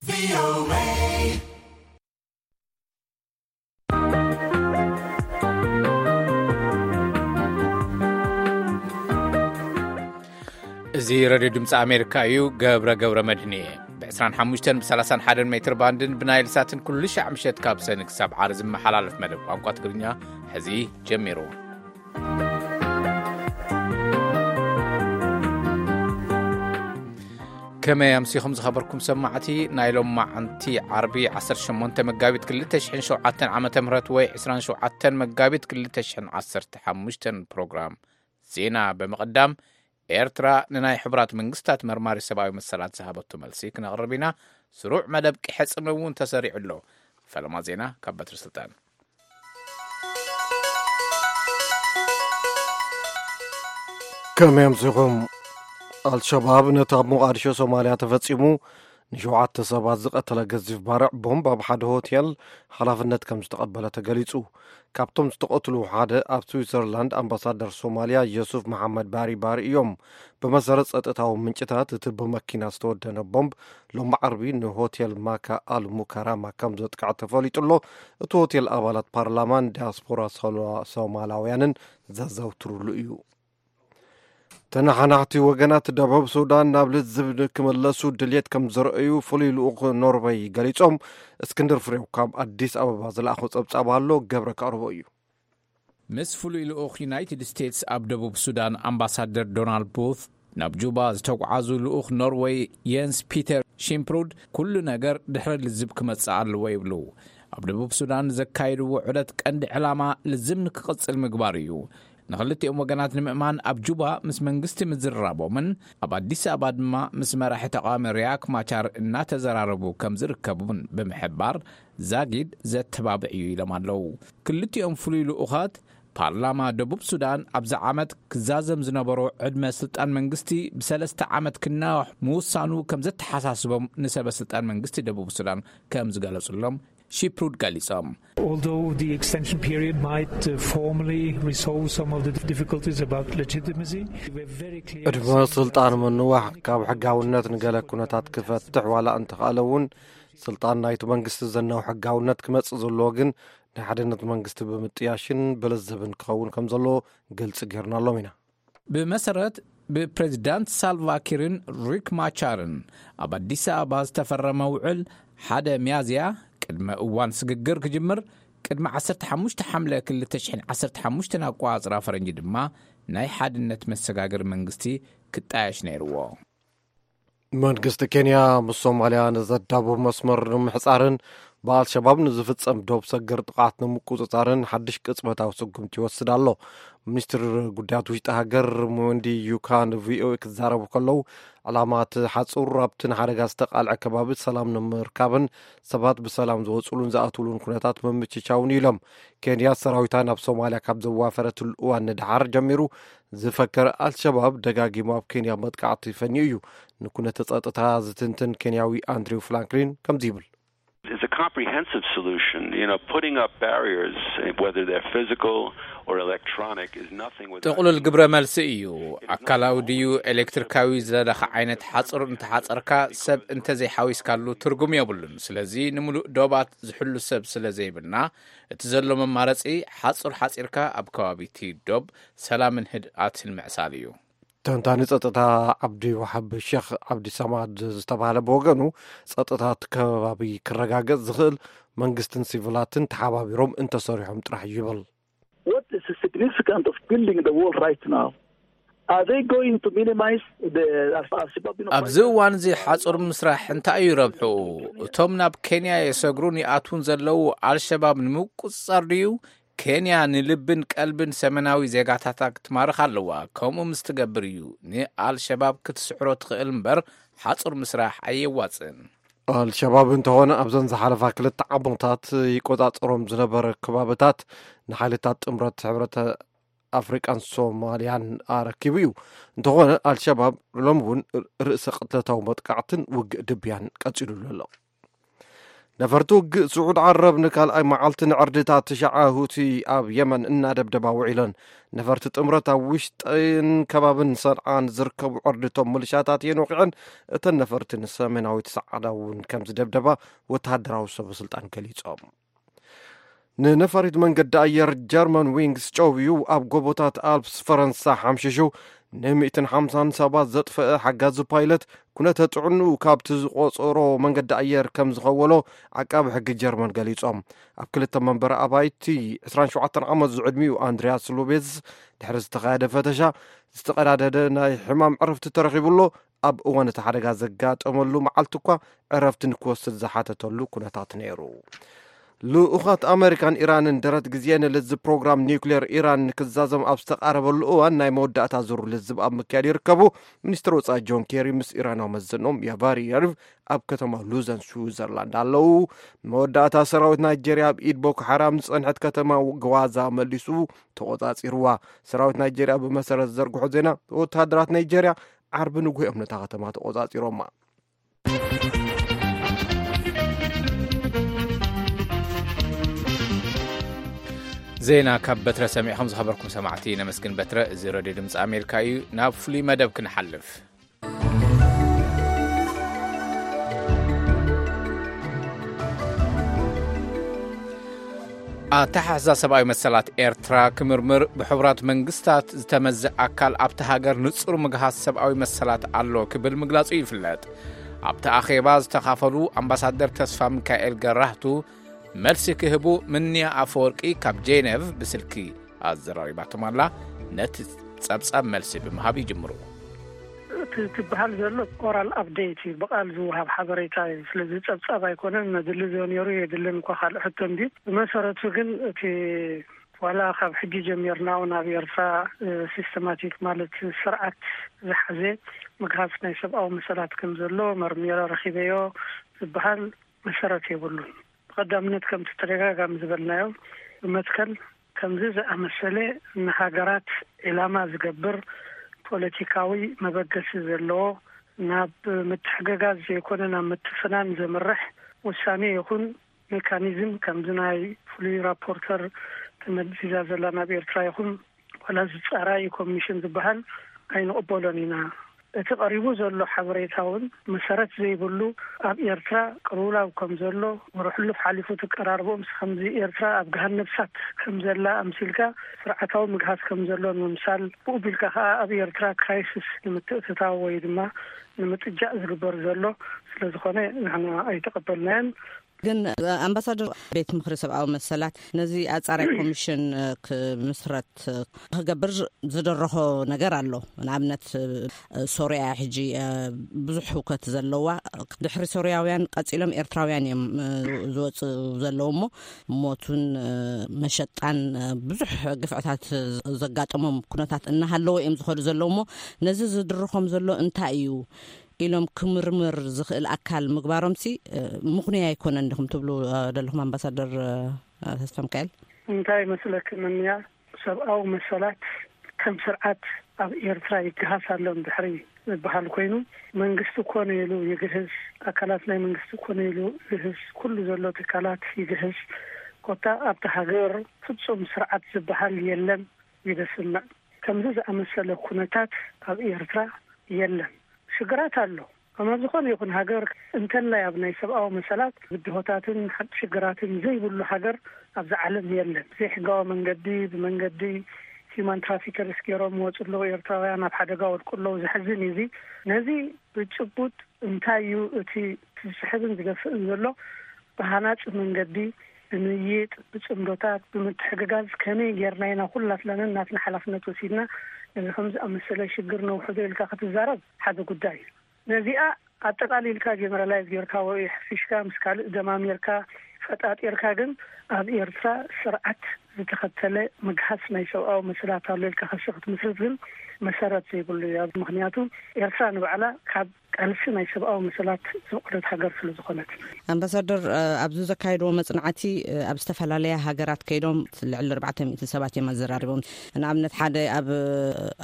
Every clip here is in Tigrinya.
እዚ ሬድዮ ድምፂ ኣሜሪካ እዩ። ገብረ ገብረ መድህን እየ። ብ ዕስራን ሓሙሽተን ብ ሰላሳን ሓደን ሜትር ባንድን ብናይል ሳትን ኩሉ ሻዕ ምሸት ካብ ሰኒ ክሳብ ዓርቢ ዝመሓላለፍ መደብ ቋንቋ ትግርኛ ሕዚ ጀሚሩ። ከመይ ኣምሲኹም ዝኸበርኩም ሰማዕቲ? ናይ ሎማዓንቲ ዓርቢ ዓሰርተ ሸሞንተ መጋቢት ክልተ ሽሕን ሸውዓተን ዓመተ ምህረት ወይ ዕስራን ሸውዓተን መጋቢት ክልተ ሽሕን ዓሰርተ ሓሙሽተን ፕሮግራም ዜና ብምቕዳም፣ ኤርትራ ንናይ ሕቡራት መንግስታት መርማሪ ሰብኣዊ መሰላት ዝሃበቶ መልሲ ክነቕርብ ኢና። ስሩዕ መደብ ቂሐ ጽምው እውን ተሰሪዑ ኣሎ። ፈለማ ዜና ካብ በትሪ ስልጣን። ከመይ ኣምሲኹም? ኣልሸባብ ነቲ ኣብ ሞቓዲሾ ሶማልያ ተፈጺሙ ንሸውዓተ ሰባት ዝቐተለ ገዚፍ ባርዕ ቦምብ ኣብ ሓደ ሆቴል ሓላፍነት ከም ዝተቐበለ ተገሊጹ። ካብቶም ዝተቐትሉ ሓደ ኣብ ስዊዘርላንድ ኣምባሳደር ሶማልያ ዮሱፍ መሓመድ ባሪ ባሪ እዮም። ብመሰረት ጸጥታዊ ምንጭታት፣ እቲ ብመኪና ዝተወደነ ቦምብ ሎሚ ዓርቢ ንሆቴል ማካ ኣል ሙካራማ ከም ዘጥቅዐ ተፈሊጡ ኣሎ። እቲ ሆቴል ኣባላት ፓርላማን ዲያስፖራ ሶሎ-፣ ሶማላውያንን ዘዘውትሩሉ እዩ። ተነሓናሕቲ ወገናት ደቡብ ሱዳን ናብ ልዝብ ክመለሱ ድልየት ከም ዘርእዩ ፍሉይ ልኡኽ ኖርወይ ገሊጾም። እስክንድር ፍሬው ካብ ኣዲስ ኣበባ ዝለኣኾ ጸብጻብ ኣሎ፣ ገብረ ከቕርቦ እዩ። ምስ ፍሉይ ልኡኽ ዩናይትድ ስቴትስ ኣብ ደቡብ ሱዳን ኣምባሳደር ዶናልድ ቡት ናብ ጁባ ዝተጓዓዙ ልኡኽ ኖርወይ የንስ ፒተር ሺምፕሩድ፣ ኩሉ ነገር ድሕሪ ልዝብ ክመጽእ ኣለዎ ይብሉ። ኣብ ደቡብ ሱዳን ዘካየድዎ ዑደት ቀንዲ ዕላማ ልዝብ ንክቕጽል ምግባር እዩ። ንኽልቲኦም ወገናት ንምእማን ኣብ ጁባ ምስ መንግስቲ ምዝርራቦምን ኣብ ኣዲስ ኣበባ ድማ ምስ መራሒ ተቃዋሚ ሪያክ ማቻር እናተዘራረቡ ከም ዝርከቡን ብምሕባር፣ ዛጊድ ዘተባብዕ እዩ ኢሎም ኣለዉ። ክልቲኦም ፍሉይ ልኡኻት ፓርላማ ደቡብ ሱዳን ኣብዚ ዓመት ክዛዘም ዝነበሮ ዕድመ ስልጣን መንግስቲ ብሰለስተ ዓመት ክናዋሕ ምውሳኑ ከም ዘተሓሳስቦም ንሰበ ስልጣን መንግስቲ ደቡብ ሱዳን ከም ዝገለጹሎም ሺፕሩድ ገሊጾም። Although the extension period might, uh, formally resolve some of the difficulties about legitimacy, we're very clear ዕድመ ስልጣን ምንዋሕ ካብ ሕጋውነት ንገለ ኩነታት ክፈትሕ ዋላ እንተኽኣለ እውን፣ ስልጣን ናይቲ መንግስቲ ዘናው ሕጋውነት ክመጽእ ዘለዎ ግን ናይ ሓድነት መንግስቲ ብምጥያሽን ብልዝብን ክኸውን ከም ዘለዎ ግልጺ ጌርናሎም ኢና። ብመሰረት ብፕሬዚዳንት ሳልቫ ኪርን ሪክ ማቻርን ኣብ ኣዲስ ኣበባ ዝተፈረመ ውዕል፣ ሓደ ሚያዝያ ቅድመ እዋን ስግግር ክጅምር፣ ቅድሚ ዓሰርተ ሓሙሽተ ሓምለ ክልተ ሽሕን ዓሰርተ ሓሙሽተን ኣቆጻጽራ ፈረንጂ ድማ ናይ ሓድነት መሰጋገሪ መንግስቲ ክጣየሽ ነይርዎ። መንግስቲ ኬንያ ምስ ሶማልያ ንዘዳብብ መስመር ንምሕጻርን ብኣልሸባብ ንዝፍጸም ዶብ ሰገር ጥቕዓት ንምቁጽጻርን ሓድሽ ቅጽበታዊ ስጉምቲ ይወስድ ኣሎ። ሚኒስትር ጉዳያት ውሽጢ ሃገር ሙንዲ ዩካ ንቪኦኤ ክዛረቡ ከለዉ፣ ዕላማ እቲ ሓጹር ኣብቲ ንሓደጋ ዝተቓልዐ ከባቢ ሰላም ንምርካብን ሰባት ብሰላም ዝወጽሉን ዝኣትውሉን ኩነታት ምምችቻውን እዩ ኢሎም። ኬንያ ሰራዊታ ናብ ሶማልያ ካብ ዘዋፈረትሉ እዋን ንደሓር ጀሚሩ ዝፈከር ኣልሸባብ ደጋጊሙ ኣብ ኬንያ መጥቃዕቲ ፈንዩ እዩ። ንኩነተ ጸጥታ ዝትንትን ኬንያዊ ኣንድሪው ፍራንክሊን ከምዚ ይብል። It's a comprehensive solution. You know, putting up barriers, whether they're physical or electronic, is nothing without ጥቕሉል ግብረ መልሲ እዩ። ኣካላዊ ድዩ ኤሌክትሪካዊ ዝደለኻ ዓይነት ሓጹር እንተሓጸርካ፣ ሰብ እንተዘይሓዊስካሉ ትርጉም የብሉን። ስለዚ ንምሉእ ዶባት ዝሕሉ ሰብ ስለ ዘይብልና፣ እቲ ዘሎ መማረጺ ሓጹር ሓጺርካ ኣብ ከባቢ እቲ ዶብ ሰላምን ህድኣትን ምዕሳል እዩ። ተንታኒ ጸጥታ ዓብዲ ዋሓብ ሼክ ዓብዲ ሰማድ ዝተባህለ ብወገኑ፣ ጸጥታ እቲ ከባቢ ክረጋገጽ ዝኽእል መንግስትን ሲቪላትን ተሓባቢሮም እንተሰሪሖም ጥራሕ እዩ ይብል። What is the significance of building the wall right now? Are they going to minimize the Al-Shabaab, you know, ኣብዚ እዋን እዚ ሓጹር ምስራሕ እንታይ እዩ ረብሑ? እቶም ናብ ኬንያ የሰግሩን ይኣትዉን ዘለዉ ኣልሸባብ ንምቁጽጻር ድዩ? ኬንያ ንልብን ቀልብን ሰሜናዊ ዜጋታታ ክትማርኽ ኣለዋ። ከምኡ ምስ ትገብር እዩ ንኣልሸባብ ክትስዕሮ ትኽእል እምበር፣ ሓጹር ምስራሕ ኣየዋጽእን። ኣልሸባብ እንተኾነ ኣብዘን ዝሓለፋ ክልተ ዓመታት ይቆጻጸሮም ዝነበረ ከባብታት ንሓይልታት ጥምረት ሕብረት ኣፍሪቃን ሶማልያን ኣረኪቡ እዩ። እንተኾነ ኣልሸባብ ሎሚ እውን ርእሰ ቅትለታዊ መጥቃዕትን ውግእ ድብያን ቀጺሉሉ ኣሎ። ነፈርቲ ውግእ ስዑድ ዓረብ ንካልኣይ መዓልቲ ንዕርድታት ትሽዓ ሁቲ ኣብ የመን እናደብደባ ውዒለን። ነፈርቲ ጥምረት ኣብ ውሽጥን ከባብን ሰንዓ ንዝርከቡ ዕርድቶም ምልሻታት እየን ወቒዐን። እተን ነፈርቲ ንሰሜናዊት ሰዓዳ እውን ከም ዝደብደባ ወተሃደራዊ ሰበ ስልጣን ገሊጾም። ንነፋሪት መንገዲ ኣየር ጀርመን ዊንግስ ጨውዩ ኣብ ጎቦታት ኣልፕስ ፈረንሳ ሓምሽሹ ን150 ሰባት ዘጥፈአ ሓጋዚ ፓይለት ኩነተ ጥዕንኡ ካብቲ ዝቆጸሮ መንገዲ ኣየር ከም ዝኸወሎ ዓቃቢ ሕጊ ጀርመን ገሊጾም። ኣብ ክልተ መንበሪ ኣባይቲ ዕስራን ሸውዓተን ዓመት ዝዕድሚኡ ኣንድሪያስ ሉቤዝ ድሕሪ ዝተኻየደ ፈተሻ ዝተቐዳደደ ናይ ሕማም ዕረፍቲ ተረኺቡሎ። ኣብ እዋን እቲ ሓደጋ ዘጋጠመሉ መዓልቲ እኳ ዕረፍቲ ንክወስድ ዝሓተተሉ ኩነታት ነይሩ። ልኡኻት ኣመሪካን ኢራንን ደረት ግዜ ንልዝብ ፕሮግራም ኒውክሌር ኢራን ንክዛዘም ኣብ ዝተቃረበሉ እዋን ናይ መወዳእታ ዙር ልዝብ ኣብ ምክያድ ይርከቡ። ሚኒስትር ወጻኢ ጆን ኬሪ ምስ ኢራናዊ መዘኖም ያቫሪ ያሪቭ ኣብ ከተማ ሉዘን ስዊዘርላንድ ኣለዉ። መወዳእታ ሰራዊት ናይጄርያ ኣብ ኢድ ቦኮ ሓራም ዝጸንሐት ከተማ ግዋዛ መሊሱ ተቆጻጺርዋ። ሰራዊት ናይጄርያ ብመሰረት ዘርግሖ ዜና ወተሃደራት ናይጄርያ ዓርቢ ንጉሆ እዮም ነታ ከተማ ተቆጻጺሮማ። ዜና ካብ በትረ ሰሚዕኹም ዝኸበርኩም ሰማዕቲ ነመስግን። በትረ፣ እዚ ሬድዮ ድምፂ ኣሜሪካ እዩ። ናብ ፍሉይ መደብ ክንሓልፍ። ኣተሓሕዛ ሰብኣዊ መሰላት ኤርትራ ክምርምር ብሕቡራት መንግስታት ዝተመዘ ኣካል ኣብቲ ሃገር ንጹር ምግሃስ ሰብኣዊ መሰላት ኣሎ ክብል ምግላጹ ይፍለጥ። ኣብቲ ኣኼባ ዝተኻፈሉ ኣምባሳደር ተስፋ ሚካኤል ገራህቱ መልሲ ክህቡ፣ ምንያ ኣፈወርቂ ካብ ጄኔቭ ብስልኪ ኣዘራሪባቶም ኣላ። ነቲ ጸብጻብ መልሲ ብምሃብ ይጅምሩ። እቲ ትበሃል ዘሎ ኦራል ኣፕዴት እዩ፣ ብቃል ዝወሃብ ሓበሬታ እዩ። ስለዚ ጸብጻብ ኣይኮነን፣ መድሊ ዘ ነይሩ የድልን እኳ ካልእ ሕቶ እንድዩ። ብመሰረቱ ግን እቲ ዋላ ካብ ሕጂ ጀሚርና እውን ኣብ ኤርትራ፣ እ፣ ሲስተማቲክ ማለት ስርዓት ዝሓዘ ምግሃስ ናይ ሰብኣዊ መሰላት ከም ዘሎ መርሚረ ረኺበዮ ዝበሃል መሰረት የብሉን። ብቐዳምነት ከምቲ ተደጋጋሚ ዝበልናዮ ብመትከል ከምዚ ዝኣመሰለ ንሃገራት ዒላማ ዝገብር ፖለቲካዊ መበገሲ ዘለዎ ናብ ምትሕግጋዝ ዘይኮነ ናብ ምትፍናን ዘምርሕ ውሳኔ ይኹን ሜካኒዝም ከምዚ ናይ ፍሉይ ራፖርተር ተመዚዛ ዘላ ናብ ኤርትራ ይኹን ዋላ እዚ ጻራይ ኮሚሽን ዝበሃል ኣይንቕበሎን ኢና። እቲ ቀሪቡ ዘሎ ሓበሬታ እውን መሰረት ዘይብሉ ኣብ ኤርትራ ቅልውላው ከም ዘሎ ወረ ሕሉፍ ሓሊፉ ትቀራርቦ ምስ ከምዚ ኤርትራ ኣብ ገሃነብ እሳት ከም ዘላ ኣምሲልካ ስርዓታዊ ምግሃስ ከም ዘሎ ንምምሳል ብኡ ቢልካ ከኣ ኣብ ኤርትራ ክራይሲስ ንምትእትታው ወይ ድማ ንምጥጃእ ዝግበር ዘሎ ስለ ዝኾነ ንሕና ኣይተቐበልናዮን። ግን ኣምባሳደር ቤት ምኽሪ ሰብኣዊ መሰላት ነዚ ኣጻራይ ኮሚሽን ክምስረት ክገብር ዝደረኾ ነገር ኣሎ። ንኣብነት ሶርያ ሕጂ ብዙሕ ህውከት ዘለዋ፣ ድሕሪ ሶርያውያን ቀጺሎም ኤርትራውያን እዮም ዝወጽኡ ዘለዉ እሞ ሞቱን መሸጣን ብዙሕ ግፍዕታት ዘጋጠሞም ኩነታት እናሃለዎ እዮም ዝኸዱ ዘለዉ እሞ ነዚ ዝድርኾም ዘሎ እንታይ እዩ ኢሎም ክምርምር ዝኽእል ኣካል ምግባሮምሲ ምኽኑይ ኣይኮነን ዲኹም ትብሉ ደለኹም ኣምባሳደር ተስፋ ሚካኤል? እንታይ መስለኪ ምንያ፣ ሰብኣዊ መሰላት ከም ስርዓት ኣብ ኤርትራ ይገሃስ ኣሎ ድሕሪ ዝበሃል ኮይኑ መንግስቲ ኮነ ኢሉ ይግህስ፣ ኣካላት ናይ መንግስቲ ኮነ ኢሉ ይግህስ፣ ኩሉ ዘሎ ትካላት ይግህስ። ኮታ ኣብቲ ሃገር ፍጹም ስርዓት ዝበሃል የለን። ይደስምዕ ከምዚ ዝኣመሰለ ኩነታት ኣብ ኤርትራ የለን። ሽግራት ኣሎ። ከመ ዝኾነ ይኹን ሃገር እንተላይ ኣብ ናይ ሰብኣዊ መሰላት ብድሆታትን ሓ- ሽግራትን ዘይብሉ ሃገር ኣብዚ ዓለም የለን። ዘይሕጋዊ መንገዲ ብመንገዲ ሂማን ትራፊከርስ ገይሮም ወፁ ኣለዉ ኤርትራውያን ኣብ ሓደጋ ወድቁ ኣለዉ። ዘሕዝን እዩ። እዚ ነዚ ብጭቡጥ እንታይ እዩ እቲ ዝስሕብን ዝገፍእን ዘሎ? ብሃናፂ መንገዲ ብምይጥ ብፅምዶታት ብምትሕግጋዝ ከመይ ጌርና ኢና ኩላትናንን ናትና ሓላፍነት ወሲድና ነዚ ከም ዝኣመሰለ ሽግር ነውሕዶ ኢልካ ክትዛረብ ሓደ ጉዳይ እዩ። ነዚኣ ኣጠቃሊልካ ጀነራላይዝ ጌርካ ወይ ሕፊሽካ ምስ ካልእ ደማሚርካ ፈጣጢርካ ግን ኣብ ኤርትራ ስርዓት ዝተኸተለ ምግሃስ ናይ ሰብኣዊ መሰላት ኣሎ ኢልካ ክሲ ክትምስርት ግን መሰረት ዘይብሉ እዩ። ምክንያቱ ኤርትራ ንባዕላ ካብ ቃልሲ ናይ ሰብኣዊ መሰላት ዝቕረት ሃገር ስለ ዝኾነት። ኣምባሳደር፣ ኣብዚ ዘካየድዎ መጽናዕቲ ኣብ ዝተፈላለያ ሃገራት ከይዶም ልዕሊ ኣርባዕተ ሚእቲ ሰባት እዮም ኣዘራሪቦም። ንኣብነት ሓደ ኣብ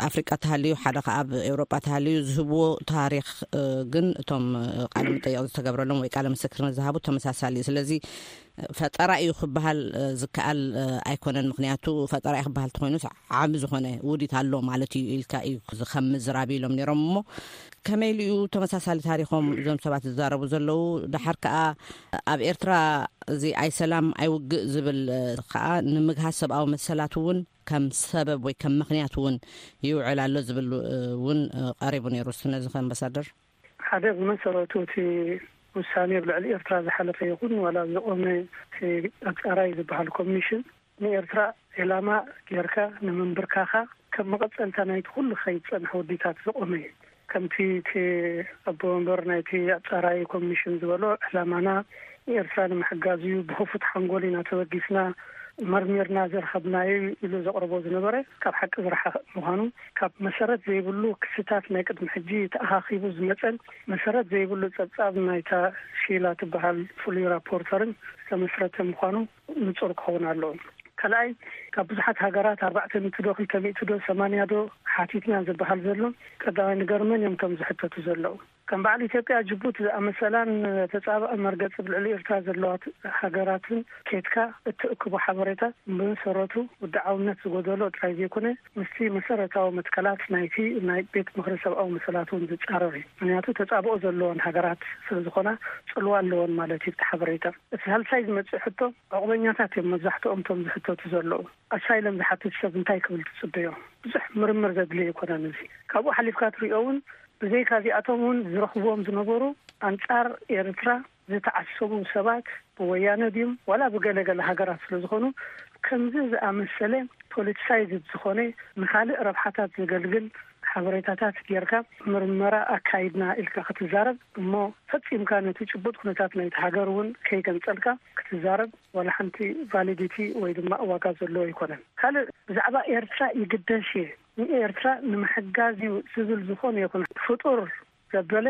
ኣፍሪቃ ተሃልዩ፣ ሓደ ከኣ ኣብ ኤውሮጳ ተሃልዩ ዝህብዎ ታሪኽ ግን እቶም ቃለ መጠየቕ ዝተገብረሎም ወይ ቃለ ምስክርነት ዝሃቡ ተመሳሳሊ እዩ። ስለዚ ፈጠራ እዩ ክበሃል ዝከኣል ኣይኮነን። ምክንያቱ ፈጠራ እዩ ክበሃል ተኮይኑስ ዓቢ ዝኾነ ውዲት ኣሎ ማለት እዩ ኢልካ እዩ ከም ምዝራብ ኢሎም ነይሮም። እሞ ከመይ ኢሉ እዩ ተመሳሳሊ ታሪኾም እዞም ሰባት ዝዛረቡ ዘለዉ? ደሓር ከኣ ኣብ ኤርትራ እዚ ኣይሰላም ኣይውግእ ዝብል ከኣ ንምግሃስ ሰብኣዊ መሰላት እውን ከም ሰበብ ወይ ከም ምክንያት እውን ይውዕል ኣሎ ዝብል እውን ቀሪቡ ነይሩ። ነዚ ከ ኣምባሳደር? ሓደ ብመሰረቱ እቲ ውሳኔ ኣብ ልዕሊ ኤርትራ ዝሓለፈ ይኹን ዋላ ዝቆመ እቲ ኣጻራይ ዝበሃል ኮሚሽን ንኤርትራ ዒላማ ጌርካ ንምንብርካኻ ከም መቐጸልታ ናይቲ ኩሉ ከይድ ጸንሐ ውዲታት ዝቆመ እዩ። ከምቲ እቲ ኣቦ ወንበር ናይቲ ኣጻራይ ኮሚሽን ዝበሎ ዕላማና ንኤርትራ ንምሕጋዝ እዩ፣ ብኽፉት ሓንጎል ኢና ተበጊስና መርሚርና ዘርኸብናዮ ኢሉ ዘቕርቦ ዝነበረ ካብ ሓቂ ዝረሓቐ ምዃኑ ካብ መሰረት ዘይብሉ ክስታት ናይ ቅድሚ ሕጂ ተኣኻኺቡ ዝመጸን መሰረት ዘይብሉ ጸብጻብ ናይታ ሺላ ትበሃል ፍሉይ ራፖርተርን ዝተመስረተ ምዃኑ ንጹር ክኸውን ኣለዎ። ካልኣይ ካብ ብዙሓት ሃገራት ኣርባዕተ ሚእቲ ዶ ክልተ ሚእቲ ዶ ሰማንያ ዶ ሓቲትና ዝበሃል ዘሎ ቀዳማይ ነገር መን እዮም እቶም ዝሕተቱ ዘለዉ? ከም በዓል ኢትዮጵያ ጅቡቲ ዝኣመሰላን ተጻባኢ መርገጺ ብልዕሊ ኤርትራ ዘለዋ ሃገራትን ኬድካ እትእክቦ ሓበሬታ ብመሰረቱ ውድዓውነት ዝጎደሎ ጥራይ ዘይኮነ ምስቲ መሰረታዊ መትከላት ናይቲ ናይ ቤት ምኽሪ ሰብኣዊ መሰላት እውን ዝጻረር እዩ። ምክንያቱ ተጻብኦ ዘለወን ሃገራት ስለ ዝኾና ጽልዋ ኣለወን ማለት እዩ። እቲ ሓበሬታ እቲ ሳልሳይ ዝመጽእ ሕቶ ዕቑበኛታት እዮም መብዛሕትኦም እቶም ዝሕተቱ ዘለዉ። ኣሳይለም ዝሓትት ሰብ እንታይ ክብል ትጽበዮ? ብዙሕ ምርምር ዘድልዮ ኣይኮነን። እዚ ካብኡ ሓሊፍካ ትሪኦ እውን ብዘይካ እዚኣቶም እውን ዝረኽብዎም ዝነበሩ ኣንጻር ኤርትራ ዝተዓሰቡ ሰባት ብወያነ ድዩም ዋላ ብገለገለ ሃገራት ስለ ዝኾኑ ከምዚ ዝኣመሰለ ፖለቲሳይዝድ ዝኾነ ንኻልእ ረብሓታት ዘገልግል ሓበሬታታት ጌርካ ምርመራ ኣካይድና ኢልካ ክትዛረብ እሞ ፈጺምካ ነቲ ጭቡጥ ኩነታት ናይቲ ሃገር እውን ከይገንጸልካ ክትዛረብ ዋላ ሓንቲ ቫሊዲቲ ወይ ድማ ዋጋ ዘለዎ ኣይኮነን። ካልእ ብዛዕባ ኤርትራ ይግደሽ እየ ንኤርትራ ንምሕጋዝ እዩ ዝብል ዝኾነ ይኹን ፍጡር ዘበለ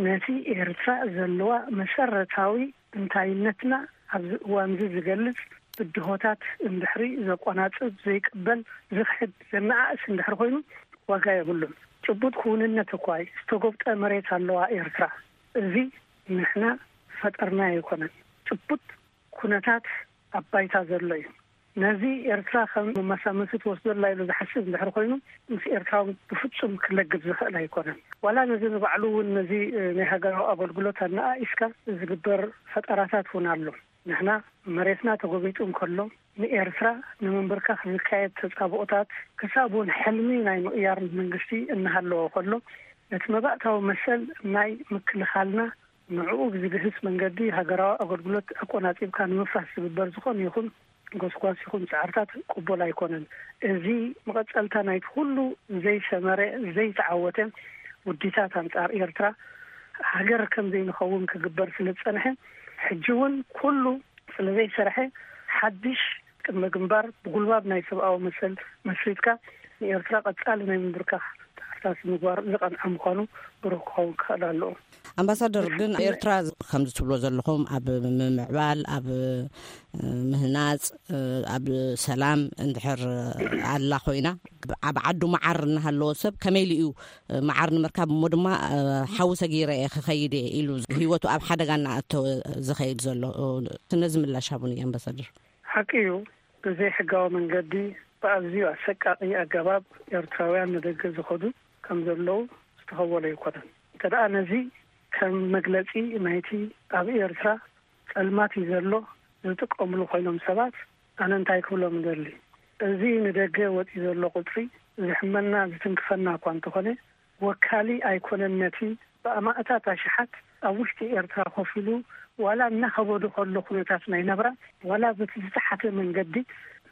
ነቲ ኤርትራ ዘለዋ መሰረታዊ እንታይነትና ኣብዚ እዋን እዚ ዝገልጽ ብድሆታት እንድሕሪ ዘቆናጽብ ዘይቅበል ዝኽሕድ ዘነኣእስ እንድሕሪ ኮይኑ ዋጋ የብሉን። ጭቡጥ ክውንነት እኳ ዝተጎብጠ መሬት ኣለዋ ኤርትራ። እዚ ንሕና ፈጠርና ኣይኮነን። ጭቡጥ ኩነታት ኣብ ባይታ ዘሎ እዩ። ነዚ ኤርትራ ከም መመሳመሲ ትወስዶ ኣላ ኢሉ ዝሓስብ እንድሕር ኮይኑ ምስ ኤርትራዊ ብፍጹም ክለግብ ዝኽእል ኣይኮነን። ዋላ ነዚ ንባዕሉ እውን ነዚ ናይ ሃገራዊ ኣገልግሎት ኣነኣኢስካ ዝግበር ፈጠራታት እውን ኣሎ። ንሕና መሬትና ተጎቢጡ እንከሎ ንኤርትራ ንምንብርካኽ ዝካየድ ተጻብኦታት ክሳብ እውን ሕልሚ ናይ ምቕያር መንግስቲ እናሃለዎ ከሎ ነቲ መባእታዊ መሰል ናይ ምክልኻልና ንዕኡ ብዝግህስ መንገዲ ሃገራዊ ኣገልግሎት ኣቆናጺብካ ንምፍራስ ዝግበር ዝኾነ ይኹን ጎስጓስ ይኹን ጻዕርታት ቅቡል ኣይኮነን። እዚ መቐጸልታ ናይቲ ኩሉ ዘይሰመረ ዘይተዓወተ ውዲታት ኣንጻር ኤርትራ ሃገር ከም ዘይንኸውን ክግበር ስለ ዝጸንሐ ሕጂ እውን ኩሉ ስለ ዘይሰርሐ ሓድሽ ቅድመ ግንባር ብጉልባብ ናይ ሰብኣዊ መሰል መስሪትካ ንኤርትራ ቀጻሊ ናይ ምንብርካኽ ጻዕርታት ምግባር ዝቐንዐ ምዃኑ ብሩህ ክኸውን ክኽእል ኣለዎ። ኣምባሳደር ግን ኤርትራ ከምዚ ትብሎ ዘለኹም ኣብ ምምዕባል ኣብ ምህናጽ ኣብ ሰላም እንድሕር ኣላ ኮይና ኣብ ዓዱ መዓር እናሃለዎ ሰብ ከመይ ኢሉ እዩ መዓር ንምርካብ እሞ ድማ ሓዊ ሰጊረ እየ ክኸይድ እየ ኢሉ ህይወቱ ኣብ ሓደጋ እናኣተወ ዝኸይድ ዘሎ? ነዚ ምላሽ ሃቡኒ ኣምባሳደር። ሓቂ እዩ። ብዘይ ሕጋዊ መንገዲ ብኣዝዩ ኣሰቃቂ ኣገባብ ኤርትራውያን ንደገ ዝኸዱ ከም ዘለዉ ዝተኸወለ ኣይኮነን። እንተ ደኣ ነዚ ከም መግለጺ ናይቲ ኣብ ኤርትራ ጸልማት እዩ ዘሎ ዝጥቀምሉ ኮይኖም ሰባት ኣነ እንታይ ክብሎም እደሊ? እዚ ንደገ ወጺኡ ዘሎ ቁጽሪ ዝሕመና ዝትንክፈና እኳ እንተኾነ ወካሊ ኣይኮነን ነቲ ብኣማእታት ኣሽሓት ኣብ ውሽጢ ኤርትራ ኮፍ ኢሉ ዋላ እናኸበዶ ከሎ ኩነታት ናይ ናብራ ዋላ በቲ ዝተሓተ መንገዲ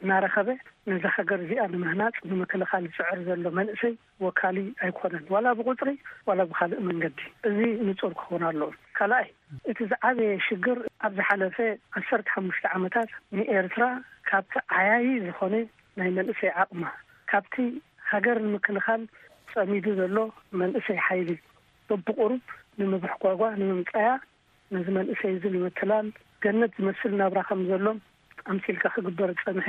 እናረኸበ ነዛ ሃገር እዚኣ ንምህናጽ ንምክልኻል ዝጽዕር ዘሎ መንእሰይ ወካሊ ኣይኮነን ዋላ ብቁጽሪ ዋላ ብኻልእ መንገዲ። እዚ ንጹር ክኸውን ኣለዎ። ካልኣይ እቲ ዝዓበየ ሽግር ኣብ ዝሓለፈ ዓሰርተ ሓሙሽተ ዓመታት ንኤርትራ ካብቲ ዓያዪ ዝኾነ ናይ መንእሰይ ዓቕማ ካብቲ ሃገር ንምክልኻል ጸሚዱ ዘሎ መንእሰይ ሓይሊ በብቑሩብ ንምብሕጓጓ፣ ንምምጻያ፣ ነዚ መንእሰይ እዚ ንምትላል፣ ገነት ዝመስል ናብራ ከም ዘሎ ኣምሲልካ ክግበር ዝጸንሐ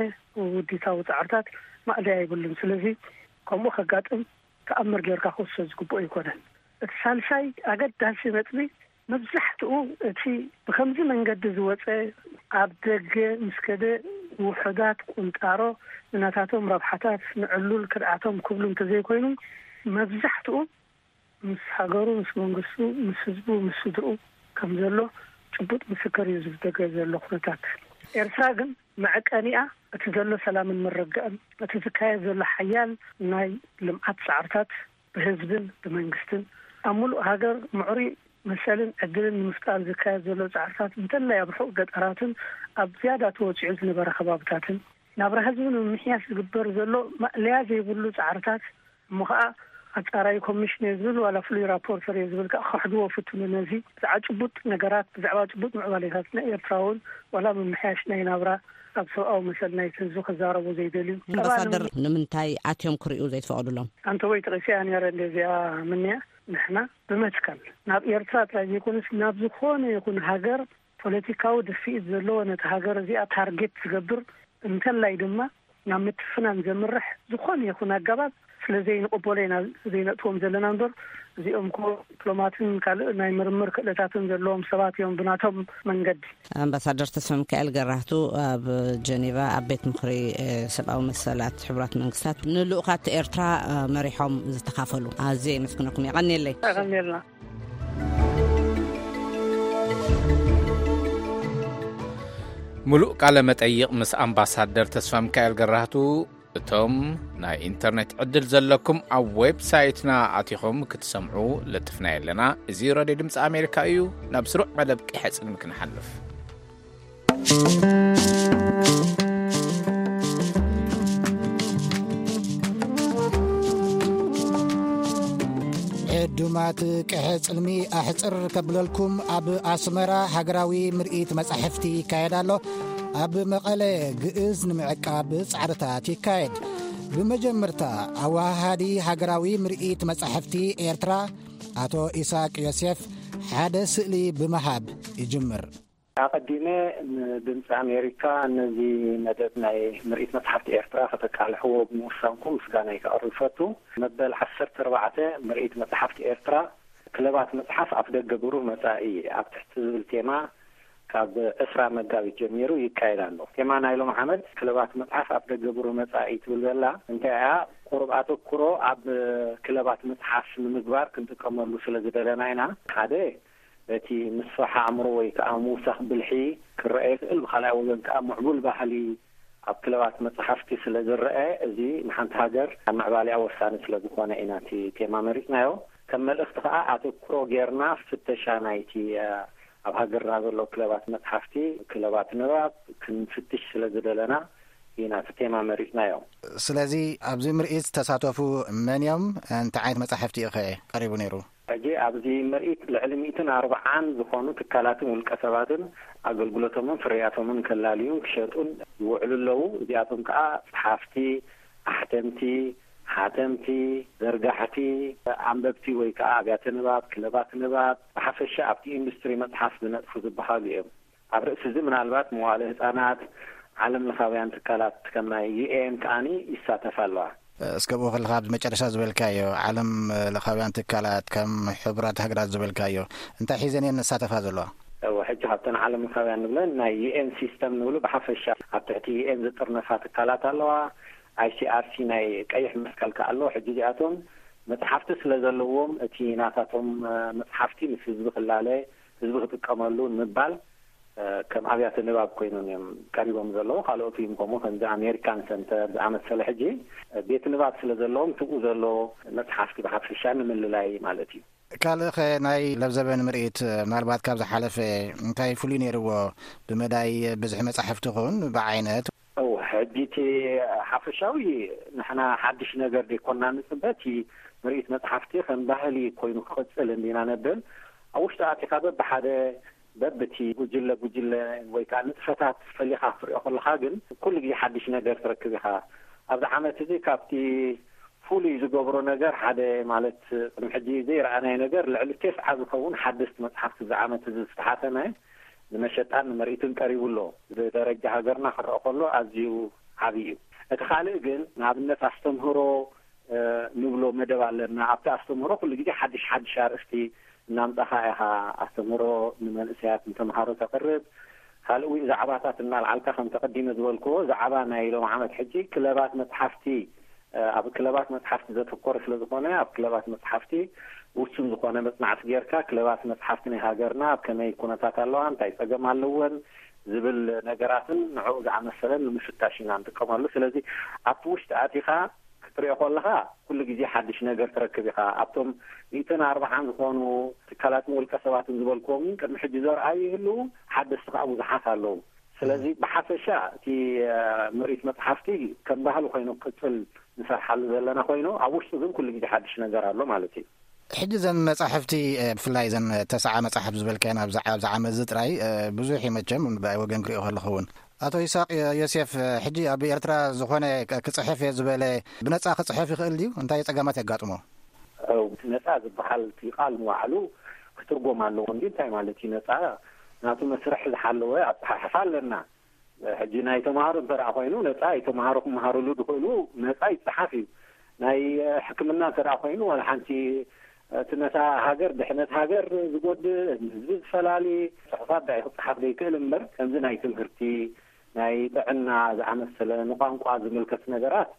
ውዲታዊ ጻዕርታት ማእለያ የብሉን። ስለዚ ከምኡ ከጋጥም ተኣምር ጌርካ ክውሰድ ዝግብኦ ኣይኮነን። እቲ ሳልሳይ ኣገዳሲ ነጥቢ፣ መብዛሕትኡ እቲ ብከምዚ መንገዲ ዝወጸ፣ ኣብ ደገ ምስ ከደ፣ ውሑዳት ቁንጣሮ ንናታቶም ረብሓታት፣ ንዕሉል ክድዓቶም ክብሉ እንተዘይኮይኑ፣ መብዛሕትኡ ምስ ሃገሩ፣ ምስ መንግስቱ፣ ምስ ህዝቡ፣ ምስ ስድርኡ ከም ዘሎ ጭቡጥ ምስክር እዩ። ዝብደገ ዘሎ ኩነታት ኤርትራ ግን መዐቀኒኣ እቲ ዘሎ ሰላምን ምርግጋእን፣ እቲ ዝካየድ ዘሎ ሓያል ናይ ልምዓት ጻዕርታት፣ ብህዝብን ብመንግስትን ኣብ ሙሉእ ሃገር ምዕሩይ መሰልን ዕድልን ንምፍጣር ዝካየድ ዘሎ ጻዕርታት፣ እንተላይ ኣብ ርሑቕ ገጠራትን ኣብ ዝያዳ ተወጺዑ ዝነበረ ከባብታትን፣ ናብራ ህዝቢ ንምምሕያሽ ዝግበር ዘሎ ማእለያ ዘይብሉ ጻዕርታት፣ እሞ ኸኣ ኣጻራዪ ኮሚሽን እየ ዝብል ዋላ ፍሉይ ራፖርተር እየ ዝብል ከኣ ክኽሕድዎ ፍትኑ። ነዚ ብዛዕባ ጭቡጥ ነገራት፣ ብዛዕባ ጭቡጥ ምዕባሌታት ናይ ኤርትራ እውን ዋላ ምምሕያሽ ናይ ናብራ፣ ኣብ ሰብኣዊ መሰል ናይቲ ህዝቢ ክዛረቡ ዘይደልዩ። ኣምባሳደር፣ ንምንታይ ኣትዮም ክርእዩ ዘይትፈቕዱሎም? ኣንተ ወይ ተቐሲያ ነይረ እንደ እዚኣ ምንያ፣ ንሕና ብመትከል ናብ ኤርትራ ጥራይ ዘይኮነስ ናብ ዝኾነ ይኹን ሃገር ፖለቲካዊ ድፍኢት ዘለዎ፣ ነቲ ሃገር እዚኣ ታርጌት ዝገብር፣ እንተላይ ድማ ናብ ምትፍናን ዘምርሕ ዝኾነ ይኹን ኣገባብ ስለ ዘይንቕበሎ ኢና ዘይነእትዎም ዘለና እምበር፣ እዚኦም እኮ ዲፕሎማትን ካልእ ናይ ምርምር ክእለታትን ዘለዎም ሰባት እዮም ብናቶም መንገዲ። ኣምባሳደር ተስፋ ሚካኤል ገራህቱ ኣብ ጀኔቫ ኣብ ቤት ምኽሪ፣ እ፣ ሰብኣዊ መሰላት ሕቡራት መንግስታት ንልኡኻት ኤርትራ፣ እ፣ መሪሖም ዝተኻፈሉ። ኣዝየ የመስግነኩም። የቐንየለይ። የቐንየልና። ምሉእ ቃለ መጠይቕ ምስ ኣምባሳደር ተስፋ ሚካኤል ገራህቱ፣ እቶም ናይ ኢንተርኔት ዕድል ዘለኩም ኣብ ዌብሳይትና ኣቲኹም ክትሰምዑ ለጥፍና ኣለና። እዚ ሬድዮ ድምፂ ኣሜሪካ እዩ። ናብ ስሩዕ መደብ ቀይሐ ጽልሚ ክንሓልፍ። ዕዱማት ቀይሐ ጽልሚ ኣሕጽር ከብለልኩም፣ ኣብ ኣስመራ ሃገራዊ ምርኢት መጻሕፍቲ ይካየድ ኣሎ። ኣብ መቐለ ግእዝ ንምዕቃብ ጻዕርታት ይካየድ። ብመጀመርታ፣ ኣወሃሃዲ ሃገራዊ ምርኢት መጻሕፍቲ ኤርትራ ኣቶ ኢሳቅ ዮሴፍ ሓደ ስእሊ ብምሃብ ይጅምር። ኣቐዲመ ንድምፂ ኣሜሪካ ነዚ መደብ ናይ ምርኢት መጽሓፍቲ ኤርትራ ከተቃልሕዎ ብምውሳንኩም ምስጋናይ ከቕርብ እፈቱ። መበል ዓሰርተ ኣርባዕተ ምርኢት መጽሓፍቲ ኤርትራ፣ ክለባት መጽሓፍ ኣፍደገ ብሩህ መጻኢ ኣብ ትሕቲ ዝብል ቴማ ካብ ዕስራ መጋቢት ጀሚሩ ይካየድ ኣሎ። ቴማ ናይ ሎም ዓመት ክለባት መጽሓፍ ኣፍደገ ብሩህ መጻኢ ትብል ዘላ እንታይ እያ? ቁሩብ ኣተኩሮ ኣብ ክለባት መጽሓፍ ንምግባር ክንጥቀመሉ ስለ ዝደለና ኢና። ሓደ፣ በቲ ምስፋሕ ኣእምሮ ወይ ከዓ ምውሳኽ ብልሒ ክረአ ይኽእል፣ ብኻልኣይ ወገን ከዓ ምዕቡል ባህሊ ኣብ ክለባት መጽሓፍቲ ስለ ዝረአ፣ እዚ ንሓንቲ ሃገር ኣብ ምዕባሊኣ ወሳኒ ስለ ዝኾነ ኢና እቲ ቴማ መሪጽናዮ። ከም መልእኽቲ ከዓ ኣተኩሮ ጌርና ፍተሻ ናይቲ፣ እ፣ ኣብ ሃገርና ዘሎ ክለባት መጽሓፍቲ፣ ክለባት ንባብ ክንፍትሽ ስለ ዝደለና ኢና እቲ ቴማ መሪጽናዮ። ስለዚ ኣብዚ ምርኢት ዝተሳተፉ መን እዮም? እንታይ ዓይነት መጻሕፍቲ እዩ ኸ ቀሪቡ ነይሩ? ሕጂ ኣብዚ ምርኢት ልዕሊ ሚእትን ኣርብዓን ዝኾኑ ትካላትን ውልቀ ሰባትን ኣገልግሎቶምን ፍርያቶምን ከላልዩን ክሸጡን ይውዕሉ ኣለዉ። እዚኣቶም ከዓ ጸሓፍቲ፣ ኣሕተምቲ፣ ሓተምቲ፣ ዘርጋሕቲ፣ ኣንበብቲ ወይ ከዓ ኣብያተ ንባብ፣ ክለባት ንባብ፣ ብሓፈሻ ኣብቲ ኢንዱስትሪ መጽሓፍ ዝነጥፉ ዝበሃሉ እዮም። ኣብ ርእሲ እዚ ምናልባት መዋእለ ህጻናት፣ ዓለም ለኻውያን ትካላት ከም ናይ ዩ ኤን ከኣኒ ይሳተፋ ኣለዋ። እስከ ብኡ ከለኻ ኣብዚ መጨረሻ ዝበልካዮ ዓለም ለኻውያን ትካላት ከም ሕቡራት ሃገራት ዝበልካዮ እንታይ ሒዘን እየን ንሳተፋ ዘለዋ? እወ፣ ሕጂ ካብተን ዓለም ለኻውያን ንብለን ናይ ዩ ኤን ሲስተም ንብሉ ብሓፈሻ ኣብ ትሕቲ ዩ ኤን ዝጥርነፋ ትካላት ኣለዋ። ኣይ ሲ ኣር ሲ ናይ ቀይሕ መስቀል ከኣ ኣሎ። ሕጂ እዚኣቶም መጽሓፍቲ ስለ ዘለዎም እቲ ናታቶም፣ እ፣ መጽሓፍቲ ምስ ህዝቢ ክላለ፣ ህዝቢ ክጥቀመሉ ንምባል፣ እ፣ ከም ኣብያተ ንባብ ኮይኖም እዮም ቀሪቦም ዘለዉ። ካልኦት እዮም ከምኡ ከምዚ ኣሜሪካን ሰንተር ዝኣመሰለ ሕጂ፣ እ፣ ቤት ንባብ ስለ ዘለዎም ትብኡ ዘሎ መጽሓፍቲ ብሓፈሻ ንምልላይ ማለት እዩ። ካልእ ኸ ናይ ለብዘበን ምርኢት ምናልባት ካብ ዝሓለፈ እንታይ ፍሉይ ነይርዎ? ብመዳይ ብዝሒ መጻሕፍቲ ኹን ብዓይነት? እው፣ ሕጂ እቲ ሓፈሻዊ ንሕና ሓድሽ ነገር ዘይኮንና ንጽበ፣ እቲ ምርኢት መጽሓፍቲ ከም ባህሊ ኮይኑ ክቕጽል እንዲና ነብል። ኣብ ውሽጢ ኣቲኻ በብሓደ በብቲ ጉጅለ ጉጅለ ወይ ከዓ ንጥፈታት ፈሊኻ ክትሪኦ ከለኻ ግን ኩሉ ግዜ ሓድሽ ነገር ትረክብ ኢኻ። ኣብዚ ዓመት እዚ ካብቲ ፍሉይ ዝገብሮ ነገር ሓደ፣ ማለት፣ ቅድሚ ሕጂ ዘይረኣናዮ ነገር፣ ልዕሊ ተስዓ ዝኸውን ሓደስቲ መጽሓፍቲ እዚ ዓመት እዚ ዝተሓተመ ንመሸጣን ንምርኢትን ቀሪቡ ኣሎ። ብደረጃ ሃገርና ክረአ ከሎ ኣዝዩ ዓብዪ እዩ። እቲ ካልእ ግን፣ ንኣብነት፣ ኣስተምህሮ እ፣ ንብሎ መደብ ኣለና። ኣብቲ ኣስተምህሮ ኩሉ ግዜ ሓድሽ ሓድሽ ኣርእስቲ እናምጻኻ ኢኻ ኣስተምህሮ ንመንእሰያት ንተምሃሮ ተቕርብ። ካልእ እውን ዛዕባታት እናልዓልካ፣ ከም ተቐዲመ ዝበልክዎ፣ ዛዕባ ናይ ሎም ዓመት ሕጂ ክለባት መጽሓፍቲ፣ እ፣ ኣብ ክለባት መጽሓፍቲ ዘተኮረ ስለ ዝኾነ፣ ኣብ ክለባት መጽሓፍቲ ውሱን ዝኾነ መጽናዕቲ ጌርካ፣ ክለባት መጽሓፍቲ ናይ ሃገርና ኣብ ከመይ ኩነታት ኣለዋ፣ እንታይ ጸገም ኣለወን ዝብል ነገራትን ንዕኡ ዝኣመሰለን ንምፍታሽ ኢና ንጥቀመሉ። ስለዚ ኣብቲ ውሽጢ ኣቲኻ ክትሪኦ ከለኻ፣ ኩሉ ግዜ ሓድሽ ነገር ትረክብ ኢኻ። ኣብቶም ሚእትን ኣርባዓን ዝኾኑ ትካላትን ውልቀ ሰባትን ዝበልክዎም እውን ቅድሚ ሕጂ ዘርኣዩ ይህልዉ፣ ሓደስቲ ከኣ ብዙሓት ኣለዉ። ስለዚ ብሓፈሻ እቲ፣ እ፣ ምርኢት መጽሓፍቲ ከም ባህሊ ኮይኑ ክቅጽል ንሰርሓሉ ዘለና ኮይኑ፣ ኣብ ውሽጡ ግን ኩሉ ግዜ ሓድሽ ነገር ኣሎ ማለት እዩ። ሕጂ ዘን መጻሕፍቲ፣ እ፣ ብፍላይ ዘን ተስዓ መጻሕፍቲ ዝበልካየን ኣብዚ ዓ-፣ ኣብዚ ዓመት እዚ ጥራይ፣ እ፣ ብዙሕ እዩ መቸም፣ ብኣይ ወገን ክሪኦ ከለኹ እውን። ኣቶ ይስሐቅ ዮ-፣ ዮሴፍ፣ እ፣ ሕጂ ኣብ ኤርትራ ዝኾነ ክ-፣ ክጽሕፍ እየ ዝበለ ብነጻ ክጽሕፍ ይኽእል ድዩ? እንታይ ጸገማት የጋጥሞ? ኣው፣ ነጻ ዝበሃል እቲ ቃል ንባዕሉ ክትርጎም ኣለዎ። እንዲ እንታይ ማለት እዩ ነጻ? ናቱ መስርሕ ዝሓለወ ኣጸሓሕፋ ኣለና። ሕጂ ናይ ተምሃሮ እንተ ደኣ ኮይኑ፣ ነጻ እዩ። ተምሃሮ ክመሃርሉ ዝኽእሉ ነጻ ይጸሓፍ እዩ። ናይ ሕክምና እንተ ደኣ ኮይኑ፣ ዋላ ሓንቲ፣ እቲ ነታ ሃገር፣ ድሕነት ሃገር ዝጎድእ፣ ህዝቢ ዝፈላሊ ጽሑፋት ደኣ እዩ ክጸሓፍ ዘይክእል እምበር፣ ከምዚ ናይ ትምህርቲ፣ ናይ ጥዕና ዝኣመሰለ፣ ንቋንቋ ዝምልከት ነገራት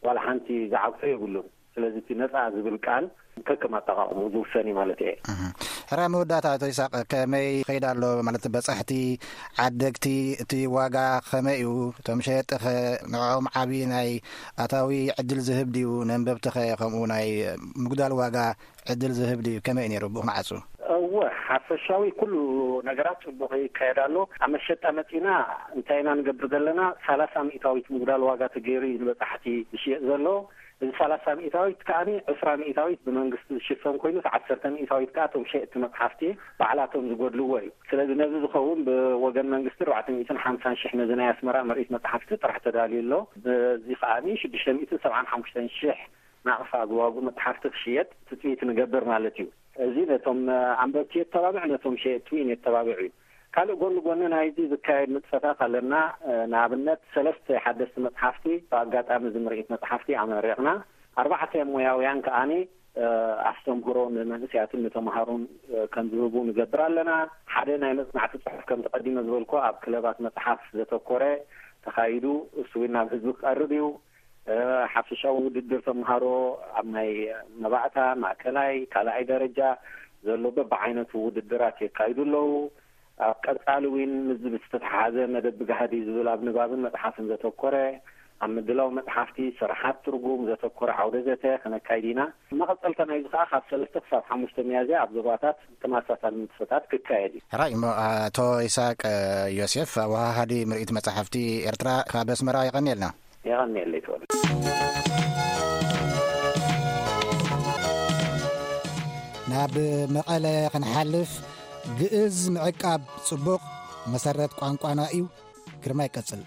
ዋላ ሓንቲ ዝዓግቶ የብሉን። ስለዚ እቲ ነጻ ዝብል ቃል ከከም ኣጠቓቕምኡ ዝውሰን እዩ ማለት እየ። እህ። ሕራይ መወዳእታ፣ ኣቶ ይስሐቅ፣ ከመይ ይኸይድ ኣሎ? ማለት በጻሕቲ፣ ዓደግቲ፣ እቲ ዋጋ ከመይ እዩ? እቶም ሸየጥኸ ንዕኦም ዓቢ ናይ ኣታዊ ዕድል ዝህብ ድዩ? ነንበብትኸ ከምኡ ናይ ምጉዳል ዋጋ ዕድል ዝህብ ድዩ? ከመይ እዩ ነይሩ ብኡ ንዓጹ? እወ፣ ሓፈሻዊ ኩሉ ነገራት ጽቡቕ ይካየድ ኣሎ። ኣብ መሸጣ መጺና እንታይ ኢና ንገብር ዘለና? ሰላሳ ሚእታዊት ምጉዳል ዋጋ ተገይሩ እዩ ንበጻሕቲ ዝሽየጥ ዘሎ። እዚ ሰላሳ ሚእታዊት ከኣ ዕስራ ሚእታዊት ብመንግስቲ ዝሽፈን ኮይኑ፣ እቲ ዓሰርተ ሚእታዊት ከኣ እቶም ሸየጥቲ መጽሓፍቲ ባዕላቶም ዝጎድልዎ እዩ። ስለዚ ነዚ ዝኸውን ብወገን መንግስቲ ኣርባዕተ ሚእትን ሓምሳን ሽሕ ነዚ ናይ ኣስመራ ምርኢት መጽሓፍቲ ጥራሕ ተዳልዩ ኣሎ። በዚ ከኣ ሽዱሽተ ሚእትን ሰብዓን ሓሙሽተን ሽሕ ናቕፋ ብዋግኡ መጽሓፍቲ ክሽየጥ ትጽቢት ንገብር ማለት እዩ። እዚ ነቶም፣ እ፣ ኣንበብቲ የተባብዕ፣ ነቶም ሸየጥቲ እውን የተባብዕ እዩ። ካልእ ጎኒ ጎኒ ናይዚ ዝካየድ ንጥፈታት ኣለና። እ፣ ንኣብነት ሰለስተ ሓደስቲ መጽሓፍቲ ብኣጋጣሚ እዚ ምርኢት መጽሓፍቲ ኣመሪቕና። ኣርባዕተ ሞያውያን ከኣኒ፣ እ፣ ኣስተምህሮ ንመንእሰያትን ንተምሃሮን፣ እ፣ ከም ዝህቡ ንገብር ኣለና። ሓደ ናይ መጽናዕቲ ጽሑፍ ከም ተቐዲመ ዝበልኩ ኣብ ክለባት መጽሓፍ ዘተኮረ ተኻይዱ፣ እሱ እውን ናብ ህዝቢ ክቐርብ እዩ። እ፣ ሓፈሻዊ ውድድር ተምሃሮ ኣብ ናይ መባእታ፣ ማእከላይ፣ ካልኣይ ደረጃ ዘሎ በብዓይነቱ ውድድራት የካይዱ ኣለዉ። ኣብ ቀጻሊ እውን ምስዚ ብዝተተሓሓዘ መደብ ብጋህዲ ዝብል ኣብ ንባብን መጽሓፍን ዘተኮረ፣ ኣብ ምድላው መጽሓፍቲ፣ ስራሓት ትርጉም ዘተኮረ ዓውደ ዘተ ክነካይድ ኢና። መቐጸልታ ናይዚ ከኣ ካብ ሰለስተ ክሳብ ሓሙሽተ ሚያዝያ ኣብ ዞባታት ተመሳሳሊ ንጥፈታት ክካየድ እዩ። ሕራይ እሞ፣ ኣቶ ይስሐቅ ዮሴፍ፣ ኣወሃሃዲ ምርኢት መጻሕፍቲ ኤርትራ ካብ ኣስመራ፣ የቐንየልና። የቐንየለይ ተወልደ። ናብ መቐለ ክንሓልፍ፣ ግእዝ ምዕቃብ ጽቡቕ መሰረት ቋንቋና እዩ። ግርማ ይቀጽል።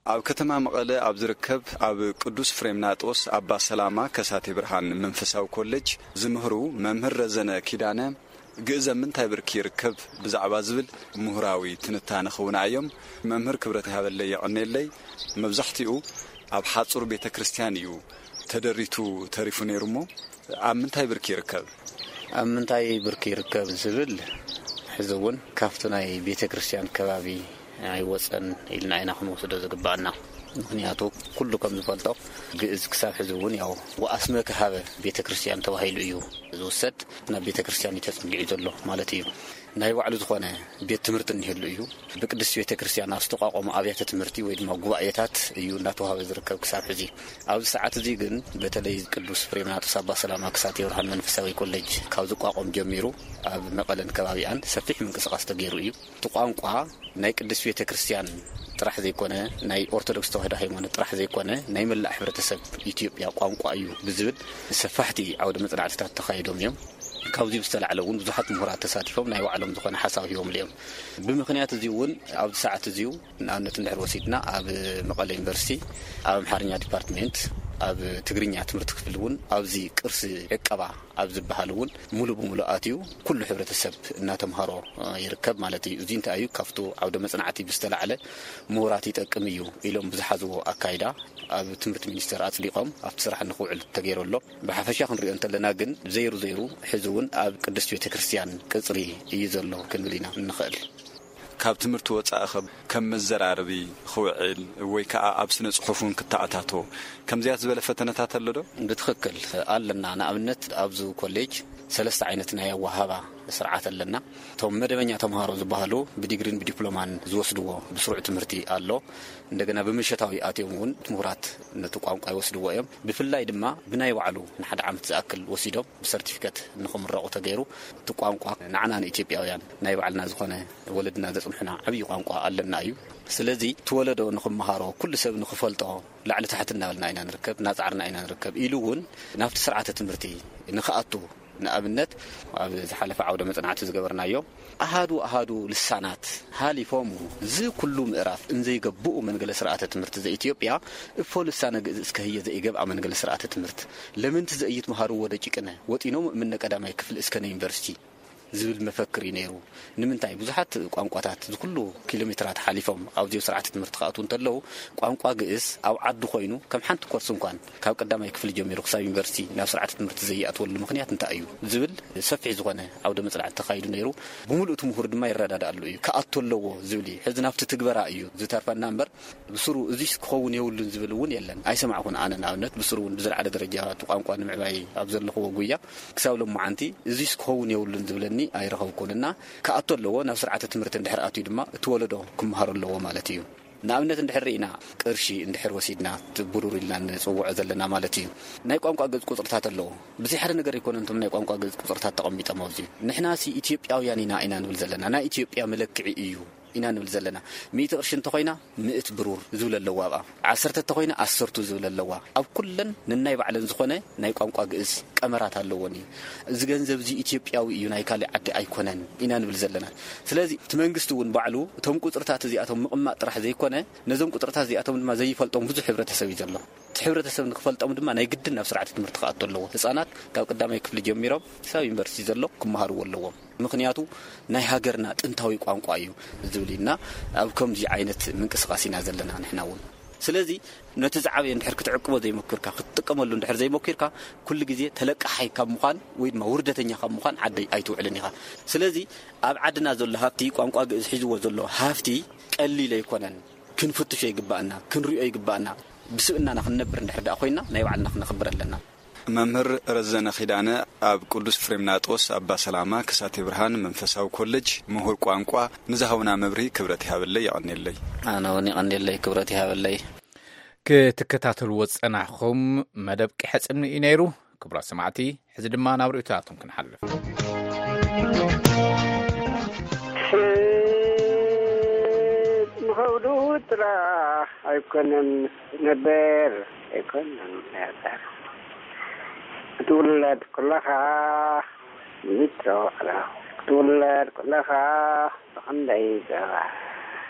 ኣብ ከተማ መቐለ ኣብ ዝርከብ ኣብ ቅዱስ ፍሬምናጦስ ኣባ ሰላማ ከሳቴ ብርሃን መንፈሳዊ ኮሌጅ ዝምህሩ መምህር ረዘነ ኪዳነ፣ ግእዝ ኣብ ምንታይ ብርኪ ይርከብ ብዛዕባ ዝብል ምሁራዊ ትንታነ ክውና እዮም። መምህር ክብረት ይሃበለይ፣ የቐኔለይ። መብዛሕትኡ ኣብ ሓጹር ቤተ ክርስቲያን እዩ ተደሪቱ ተሪፉ ነይሩ እሞ፣ ኣብ ምንታይ ብርኪ ይርከብ? ኣብ ምንታይ ብርኪ ይርከብ ዝብል፣ ሕዚ እውን ካብቲ ናይ ቤተ ክርስቲያን ከባቢ ኣይወጸን ኢልና ኢና ክንወስዶ ዝግባኣና። ምኽንያቱ፣ ኩሉ ከም ዝፈልጦ፣ ግእዝ ክሳብ ሕዚ እውን ያው ወኣስመ ከሃበ ቤተ ክርስቲያን ተባሂሉ እዩ ዝውሰድ። ናብ ቤተ ክርስቲያን እዩ ተጸጊዑ ዘሎ ማለት እዩ። ናይ ባዕሉ ዝኾነ ቤት ትምህርቲ እንሄሉ እዩ። ብቅድስቲ ቤተ ክርስቲያን ኣብ ዝተቋቋሙ ኣብያተ ትምህርቲ ወይ ድማ ጉባኤታት እዩ እናተዋህበ ዝርከብ ክሳብ ሕዚ። ኣብዚ ሰዓት እዚ ግን በተለይ ቅዱስ ፍሬምናጦስ ኣባ ሰላማ ክሳቴ ብርሃን መንፈሳዊ ኮሌጅ ካብ ዝቋቋም ጀሚሩ ኣብ መቐለን ከባቢኣን ሰፊሕ ምንቅስቓስ ተገይሩ እዩ። እቲ ቋንቋ ናይ ቅድስት ቤተ ክርስቲያን ጥራሕ ዘይኮነ፣ ናይ ኦርቶዶክስ ተዋህዶ ሃይማኖት ጥራሕ ዘይኮነ፣ ናይ መላእ ሕብረተሰብ ኢትዮጵያ ቋንቋ እዩ ብዝብል ሰፋሕቲ ዓውደ መጽናዕትታት ተኻይዶም እዮም። ካብዚ ብዝተላዕለ እውን ብዙሓት ምሁራት ተሳቲፎም ናይ ባዕሎም ዝኾነ ሓሳብ ሂቦምሉ እዮም። ብምኽንያት እዚ እውን ኣብዚ ሰዓት እዚ፣ ንኣብነት እንድሕር ወሲድና፣ ኣብ መቐለ ዩኒቨርሲቲ ኣብ ኣምሓርኛ ዲፓርትሜንት ኣብ ትግርኛ ትምህርቲ ክፍሊ እውን ኣብዚ ቅርሲ ዕቀባ ኣብ ዝበሃል እውን ሙሉ ብሙሉ ኣትዩ ኩሉ ሕብረተሰብ እናተምሃሮ ይርከብ ማለት እዩ። እዚ እንታይ እዩ? ካብቱ ዓውደ መፅናዕቲ ብዝተላዕለ ምሁራት ይጠቅም እዩ ኢሎም ብዝሓዝዎ ኣካይዳ ኣብ ትምህርቲ ሚኒስቴር ኣፅዲቖም ኣብቲ ስራሕ ንክውዕል ተገይሩ ኣሎ። ብሓፈሻ ክንሪኦ እንተለና ግን ዘይሩ ዘይሩ ሕዚ እውን ኣብ ቅድስት ቤተ ክርስቲያን ቅፅሪ እዩ ዘሎ ክንብል ኢና እንኽእል። ካብ ትምህርቲ ወጻኢ ኸ ከም መዘራረቢ ክውዕል ወይ ከኣ ኣብ ስነ ጽሑፍ እውን ክተኣታቶ ከምዚያት ዝበለ ፈተነታት ኣሎ ዶ? ብትኽክል ኣለና። ንኣብነት ኣብዚ ኮሌጅ ሰለስተ ዓይነት ናይ ኣወሃባ ስርዓት ኣለና። እቶም መደበኛ ተምሃሮ ዝበሃሉ ብዲግሪን ብዲፕሎማን ዝወስድዎ ብስሩዕ ትምህርቲ ኣሎ። እንደገና ብምሸታዊ ኣትዮም እውን ምሁራት ነቲ ቋንቋ ይወስድዎ እዮም። ብፍላይ ድማ ብናይ ባዕሉ ንሓደ ዓመት ዝኣክል ወሲዶም ብሰርቲፊከት ንኽምረቑ ተገይሩ። እቲ ቋንቋ ንዓና ንኢትዮጵያውያን ናይ ባዕልና ዝኾነ ወለድና ዘጽንሑና ዓብዪ ቋንቋ ኣለና እዩ። ስለዚ እቲ ወለዶ ንኽመሃሮ፣ ኩሉ ሰብ ንኽፈልጦ፣ ላዕሊ ታሕቲ እናበልና ኢና ንርከብ፣ እናጻዕርና ኢና ንርከብ ኢሉ እውን ናብቲ ስርዓተ ትምህርቲ ንኽኣቱ፣ ንኣብነት ኣብ ዝሓለፈ ዓውደ መጽናዕቲ ዝገበርናዮ ኣሃዱ ኣሃዱ ልሳናት ሃሊፎሙ፣ እዚ ኩሉ ምዕራፍ እንዘይገብኡ መንገለ ስርዓተ ትምህርቲ ዘኢትዮጵያ እፎ ልሳነ ግእዝ እስከ ህየ ዘኢገብኣ መንገለ ስርዓተ ትምህርት ለምንቲ ዘኢይትመሃርዎ ደቂቅነ ወጢኖም እምነ ቀዳማይ ክፍል እስከ ንዩኒቨርሲቲ ዝብል መፈክር እዩ ነይሩ። ንምንታይ ብዙሓት ቋንቋታት እዚ ኩሉ ኪሎ ሜትራት ሓሊፎም ኣብዚዮ ስርዓተ ትምህርቲ ክኣትዉ እንተለዉ ቋንቋ ግእዝ ኣብ ዓዱ ኮይኑ ከም ሓንቲ ኮርስ እንኳን ካብ ቀዳማይ ክፍሊ ጀሚሩ ክሳብ ዩኒቨርሲቲ ናብ ስርዓተ ትምህርቲ ዘይኣትወሉ ምኽንያት እንታይ እዩ ዝብል ሰፊሕ ዝኾነ ዓውደ መጽናዕቲ ተኻይዱ ነይሩ። ብምሉእ እቲ ምሁር ድማ ይረዳድኣሉ እዩ። ክኣቱ ኣለዎ ዝብል እዩ። ሕዚ ናብቲ ትግበራ እዩ ዝተርፈና እምበር ብስሩ እዚስ ክኸውን የብሉን ዝብል እውን የለን። ኣይሰማዕኩን ኣነ ንኣብነት ብስሩ እውን ብዝለዓለ ደረጃ እቲ ቋንቋ ንምዕባይ ኣብ ዘለኽዎ ጉያ ክሳብ ሎማዓንቲ እዚስ ክኸውን የብሉን ዝብለኒ ኣይረኸብኩን እና ክኣቱ ኣለዎ። ናብ ስርዓተ ትምህርቲ እንድሕር ኣትዩ ድማ እቲ ወለዶ ክመሃሮ ኣለዎ ማለት እዩ። ንኣብነት እንድሕር ርኢና ቅርሺ እንድሕር ወሲድና እቲ ብሩር ኢልና ንጽውዖ ዘለና ማለት እዩ። ናይ ቋንቋ ገጽ ቁጽርታት ኣለዎ። ብዘይ ሓደ ነገር ኣይኮነን እቶም ናይ ቋንቋ ገጽ ቁጽርታት ተቐሚጦም ኣብዚ። ንሕናሲ ኢትዮጵያውያን ኢና ኢና ንብል ዘለና። ናይ ኢትዮጵያ መለክዒ እዩ ኢና ንብል ዘለና። ሚእቲ ቅርሺ እንተኾይና ምእት ብሩር ዝብል ኣለዋ ኣብኣ። ዓሰርተ እንተኾይና ዓሰርቱ ዝብል ኣለዋ። ኣብ ኩለን ነናይ ባዕለን ዝኾነ ናይ ቋንቋ ግእዝ ቀመራት ኣለዎን እዩ። እዚ ገንዘብ እዚ ኢትዮጵያዊ እዩ ናይ ካሊእ ዓዲ ኣይኮነን ኢና ንብል ዘለና። ስለዚ እቲ መንግስቲ እውን ባዕሉ እቶም ቁፅርታት እዚኣቶም ምቕማጥ ጥራሕ ዘይኮነ ነዞም ቁፅርታት እዚኣቶም ድማ ዘይፈልጦም ብዙሕ ሕብረተሰብ እዩ ዘሎ። እቲ ሕብረተሰብ ንክፈልጦም ድማ ናይ ግድን ናብ ስርዓተ ትምህርቲ ክኣቱ ኣለዎ። ህፃናት ካብ ቀዳማይ ክፍሊ ጀሚሮም ክሳብ ዩኒቨርሲቲ ዘሎ ክመሃርዎ ኣለዎም። ምኽንያቱ ናይ ሃገርና ጥንታዊ ቋንቋ እዩ ዝብል ኢና ኣብ ከምዚ ዓይነት ምንቅስቃስ ኢና ዘለና ንሕና እውን። ስለዚ ነቲ ዝዓበየ እንድሕር ክትዕቅቦ ዘይሞኪርካ ክትጥቀመሉ እንድሕር ዘይሞኪርካ ኩሉ ግዜ ተለቃሓይ ካብ ምዃን ወይ ድማ ውርደተኛ ካብ ምዃን ዓደይ ኣይትውዕልን ኢኻ። ስለዚ ኣብ ዓድና ዘሎ ሃፍቲ ቋንቋ ግእዝ ሒዝዎ ዘሎ ሃፍቲ ቀሊል ኣይኮነን። ክንፍትሾ ይግባኣና፣ ክንሪኦ ይግባኣና። ብስብእናና ክንነብር እንድሕር ደኣ ኮይና ናይ ባዕልና ክነኽብር ኣለና። መምህር ረዘነ ኪዳነ ኣብ ቅዱስ ፍሬምናጦስ ኣባ ሰላማ ከሳቴ ብርሃን መንፈሳዊ ኮሌጅ ምሁር ቋንቋ ንዝሃቡና መብርሂ ክብረት ይሃበለይ የቐንየለይ። ኣነ እውን የቐንየለይ ክብረት ይሃበለይ። ክትከታተልዎ ዝጸናሕኹም መደብ ቂሐ ጽምኒ እዩ ነይሩ። ክቡራት ሰማዕቲ፣ ሕዚ ድማ ናብ ርእይቶታቶም ክንሓልፍ። ንኸብዱ ጥራሕ ኣይኮነን ነበር፣ ኣይኮነን ነበር። ክትውለድ ኩለኻ ምትሮ ክትውለድ ኩለኻ ብኽንደይ ጸባ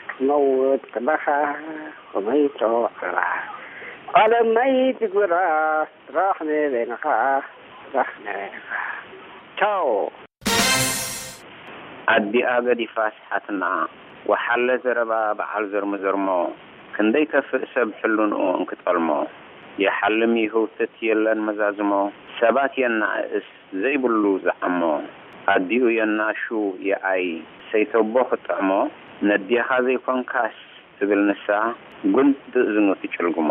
ክትመውት ኩለኻ ብመይትሮ ጸባ ቃለ መይት ግብራ ስራሕ ንበይንኻ ስራሕ ንበይንኻ። ቻው። ኣዲኣ ገዲፋስ ሓትና፣ ወሓለ ዘረባ በዓል ዘርምዘርሞ፣ ክንደይ ከፍእ ሰብ ሕልንኡ እንክጠልሞ፣ ይሓልም ይህውትት የለን መዛዝሞ፣ ሰባት የናእእስ ዘይብሉ ዝዓሞ፣ ኣዲኡ የናሹ የኣይ ሰይተቦ ክትጥዕሞ፣ ነዴኻ ዘይኮንካስ ትብል ንሳ፣ ጉንዲ እዝኑ ትጭልግሞ፣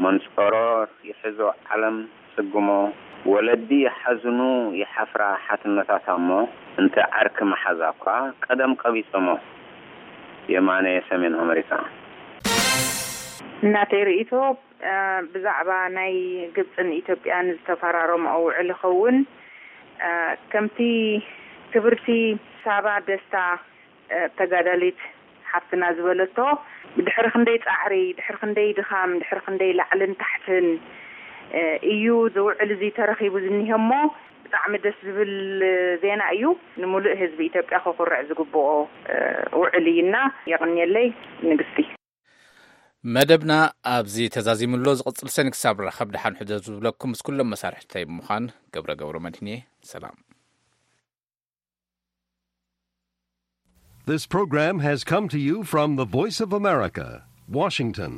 መንጸሮር ይሕዞ ዓለም ትጽግሞ፣ ወለዲ ይሓዝኑ ይሓፍራ ሓትነታታ እሞ፣ እንተ ዓርኪ መሓዛ እኳ ቀደም ቀቢጸሞ። የማነ ሰሜን ኣመሪካ። እናተይ ርእይቶ፣ እ፣ ብዛዕባ ናይ ግብጽን ኢትዮጵያን ዝተፈራረምኦ ውዕል ይኸውን፣ እ፣ ከምቲ ክብርቲ ሳባ ደስታ፣ እ፣ ተጋዳሊት ሓፍትና ዝበለቶ፣ ድሕሪ ክንደይ ጻዕሪ፣ ድሕሪ ክንደይ ድኻም፣ ድሕሪ ክንደይ ላዕልን ታሕትን፣ እ፣ እዩ እዚ ውዕል እዚ ተረኺቡ ዝኒሀ እሞ፣ ብጣዕሚ ደስ ዝብል ዜና እዩ። ንምሉእ ህዝቢ ኢትዮጵያ ክኹርዕ ዝግብኦ፣ እ፣ ውዕል እዩና። የቕንየለይ ንግስቲ። መደብና ኣብዚ ተዛዚሙ ኣሎ። ዝቕጽል ሰኒ ክሳብ ራኸብ ደሓን ሕደሩ ዝብለኩም ምስ ኩሎም መሳርሕተይ ብምዃን ገብረ ገብረ መድህን እየ። ሰላም። This program has come to you from the Voice of America, Washington.